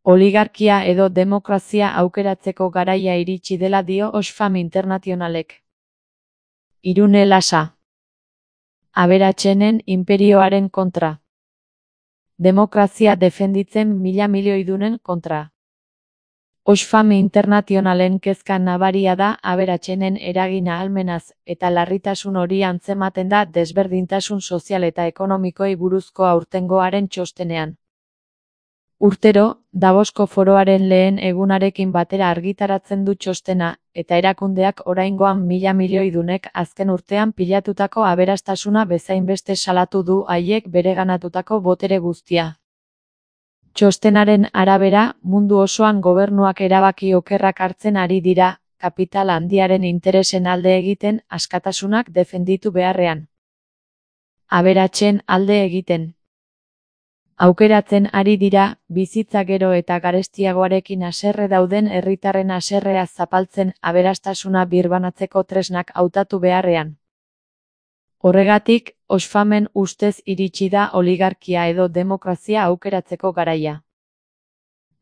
Oligarkia edo demokrazia aukeratzeko garaia iritsi dela dio Oxfam Internationalek. Irune Lasa. Aberatsenen inperioaren kontra. Demokrazia defenditzen milioidunen kontra. Oxfam Internationalen kezka nabaria da aberatsenen eragin ahalmenaz eta larritasun hori antzematen da desberdintasun sozial eta ekonomikoei buruzko aurtengoaren txostenean. Urtero, Davosko foroaren lehen egunarekin batera argitaratzen du txostena, eta erakundeak oraingoan milioidunek azken urtean pilatutako aberastasuna bezainbeste salatu du haiek bereganatutako botere guztia. Txostenaren arabera, mundu osoan gobernuak erabaki okerrak hartzen ari dira, kapital handiaren interesen alde egiten, askatasunak defenditu beharrean. Aberatsen alde egiten. Aukeratzen ari dira, bizitza gero eta garestiagoarekin haserre dauden herritarren haserrea zapaltzen aberastasuna birbanatzeko tresnak hautatu beharrean. Horregatik, Oxfamen ustez iritsi da oligarkia edo demokrazia aukeratzeko garaia.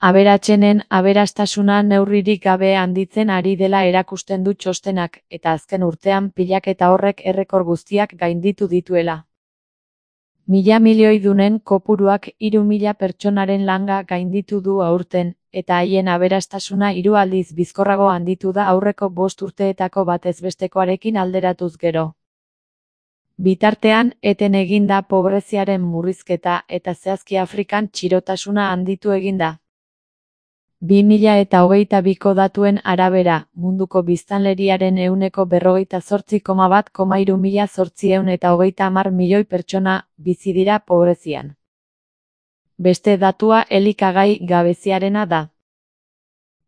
Aberatsenen aberastasuna neurririk gabe handitzen ari dela erakusten du txostenak, eta azken urtean pilaketa horrek errekor guztiak gainditu dituela. Milioidunen kopuruak 3.000 pertsonaren langa gainditu du aurten, eta haien aberastasuna 3 aldiz bizkorrago handitu da aurreko 5 urteetako batez bestekoarekin alderatuz gero. Bitartean, eten egin da pobreziaren murrizketa eta zehazki Afrikan txirotasuna handitu egin da. 2022ko datuen arabera, munduko biztanleriaren 48,1,330 milioi pertsona bizi dira pobrezian. Beste datua elikagai gabeziarena da.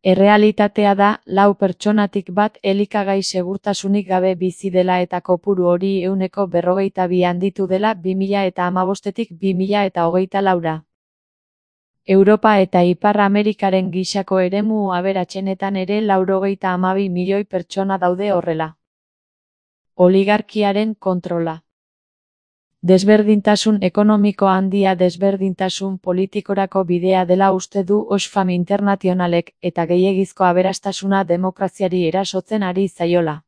Errealitatea da, 4 pertsonatik bat elikagai segurtasunik gabe bizi dela eta kopuru hori 42 handitu dela 2015tik 2024ra. Europa eta Ipar Amerikaren gisako eremu aberatsenetan ere 92 milioi pertsona daude horrela. Oligarkiaren kontrola. Desberdintasun ekonomiko handia desberdintasun politikorako bidea dela uste du Oxfam Internationalek eta gehiegizko aberastasuna demokraziari erasotzen ari zaiola.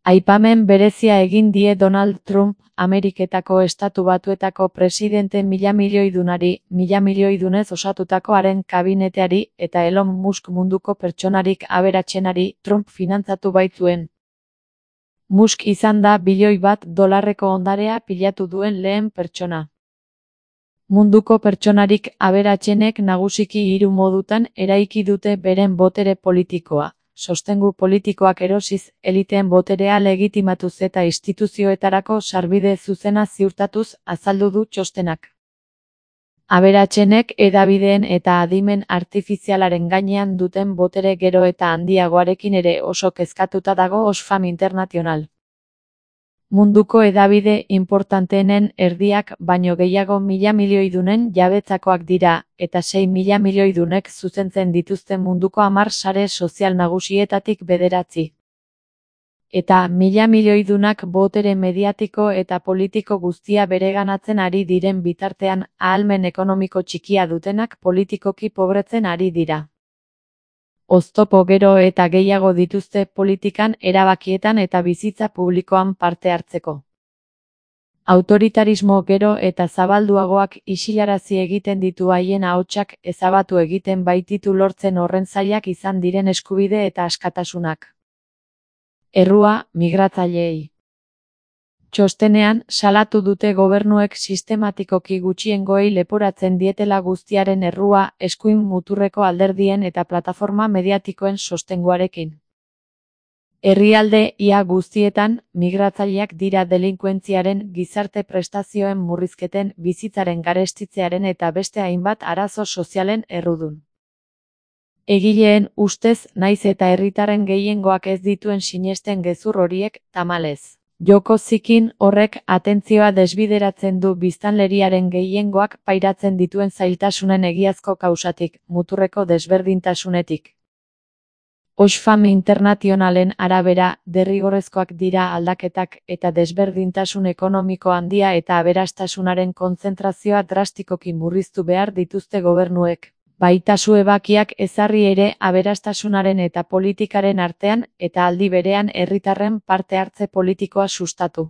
Aipamen berezia egin die Donald Trump, Ameriketako Estatu Batuetako presidente milioidunez osatutako haren kabineteari eta Elon Musk munduko pertsonarik aberatsenari Trump finantzatu baitzuen. Musk izan da $1 biloi ondarea pilatu duen lehen pertsona. Munduko pertsonarik aberatsenek nagusiki 3 modutan eraiki dute beren botere politikoa. Sostengu politikoak erosiz, eliteen boterea legitimatuz eta instituzioetarako sarbide zuzena ziurtatuz azaldu du txostenak. Aberatsenek hedabideen eta adimen artifizialaren gainean duten botere gero eta handiagoarekin ere oso kezkatuta dago Oxfam International. Munduko hedabide inportanteenen erdiak baino gehiago milioidunen jabetzakoak dira, eta 6 milioidunek zuzentzen dituzten munduko 10 sare sozial nagusietatik 9. Eta milioidunak botere mediatiko eta politiko guztia bereganatzen ari diren bitartean, ahalmen ekonomiko txikia dutenak politikoki pobretzen ari dira. Oztopo gero eta gehiago dituzte politikan, erabakietan eta bizitza publikoan parte hartzeko. Autoritarismo gero eta zabalduagoak isilarazi egiten ditu haien ahotsak ezabatu egiten baititu lortzen horren zailak izan diren eskubide eta askatasunak. Errua, migratzaileei. Txostenean, salatu dute gobernuek sistematikoki gutxiengoei leporatzen dietela guztiaren errua, eskuin muturreko alderdien eta plataforma mediatikoen sostenguarekin. Herrialde ia guztietan, migratzaileak dira delinkuentziaren, gizarte prestazioen murrizketen, bizitzaren garestitzearen eta beste hainbat arazo sozialen errudun. Egileen ustez, naiz eta herritarren gehiengoak ez dituen sinesten gezur horiek, tamalez. Joko zikin horrek atentzioa desbideratzen du biztanleriaren gehiengoak pairatzen dituen zailtasunen egiazko kausatik, muturreko desberdintasunetik. Oxfam Internationalen arabera, derrigorrezkoak dira aldaketak eta desberdintasun ekonomiko handia eta aberastasunaren kontzentrazioa drastikoki murriztu behar dituzte gobernuek. Baitazu ebakiak ezarri ere aberastasunaren eta politikaren artean eta aldi berean herritarren parte hartze politikoa sustatu.